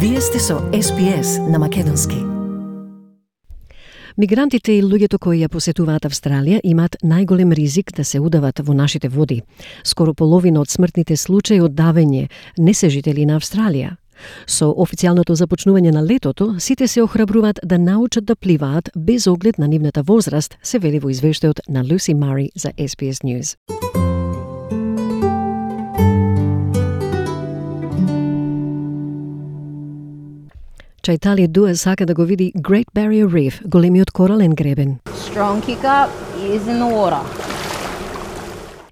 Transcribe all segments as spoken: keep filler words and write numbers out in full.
Вие сте со Ес Би Ес на македонски. Мигрантите и луѓето кои ја посетуваат Австралија имаат најголем ризик да се удават во нашите води. Скоро половина од смртните случаи од давење не се жители на Австралија. Со официјалното започнување на летото, сите се охрабруваат да научат да пливаат без оглед на нивната возраст, се вели во извештајот на Люси Мари за Ес Би Ес News. Чајтали Дуа сака да го види Great Barrier Reef, големиот корален гребен. Strong kick up, ears in the water.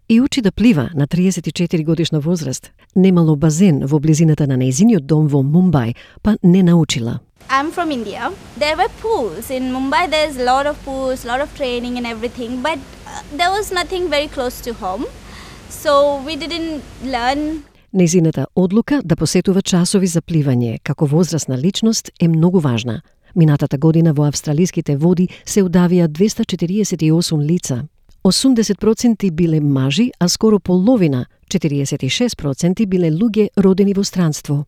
И учи да плива на триесет и четири годишна возраст. Немало базен во близината на нејзиниот дом во Мумбај, па не научила. I'm from India. There were pools. In Mumbai there's a lot of pools, a lot of training and everything, but uh, there was nothing very close to home. So we didn't learn. Нејзината одлука да посетува часови за пливање како возрастна личност е многу важна. Минатата година во австралиските води се удавија двеста четириесет и осум лица. осумдесет проценти биле мажи, а скоро половина, четириесет и шест проценти, биле луѓе родени во странство.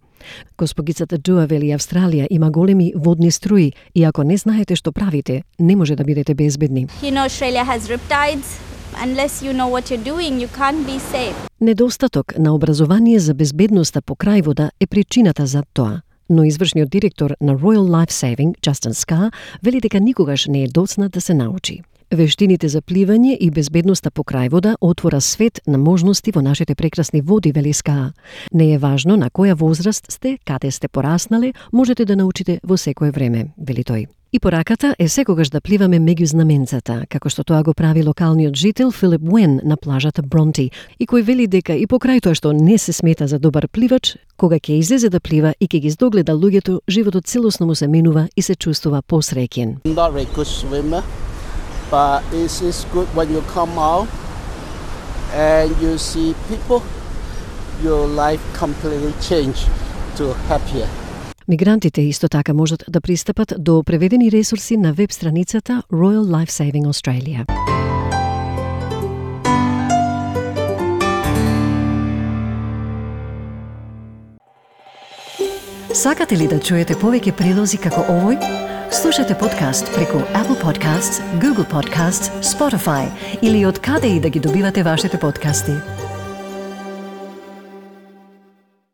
Госпогицата Дуа вели Австралија има големи водни струи и ако не знаете што правите, не може да бидете безбедни. You know, Australia has riptides. Unless you know what you're doing, you can't be safe. Недостаток на образование за безбедноста по крај вода е причината за тоа. Но извршниот директор на Royal Life Saving, Justin Scar, вели дека никогаш не е доцна да се научи. Вештините за пливање и безбедноста по крај вода отвора свет на можности во нашите прекрасни води, вели Scar. Не е важно на која возраст сте, каде сте пораснале, можете да научите во секое време, вели тој. И пораката е секогаш да пливаме меѓу знаменцата, како што тоа го прави локалниот жител Филип Уен на плажата Бронти, и кој вели дека и покрај тоа што не се смета за добар пливач, кога ќе излезе да плива и ќе ги здогледа луѓето, животот целосно му се менува и се чувствува посреќен. Not very good swimmer, but it is good when you come out and you see people, your life completely change to happier. Мигрантите исто така можат да пристапат до преведени ресурси на веб страницата Royal Life Saving Australia. Сакате ли да чуете повеќе прилози како овој? Слушате подкаст преку Apple Podcasts, Google Podcasts, Spotify или од каде и да ги добивате вашите подкасти.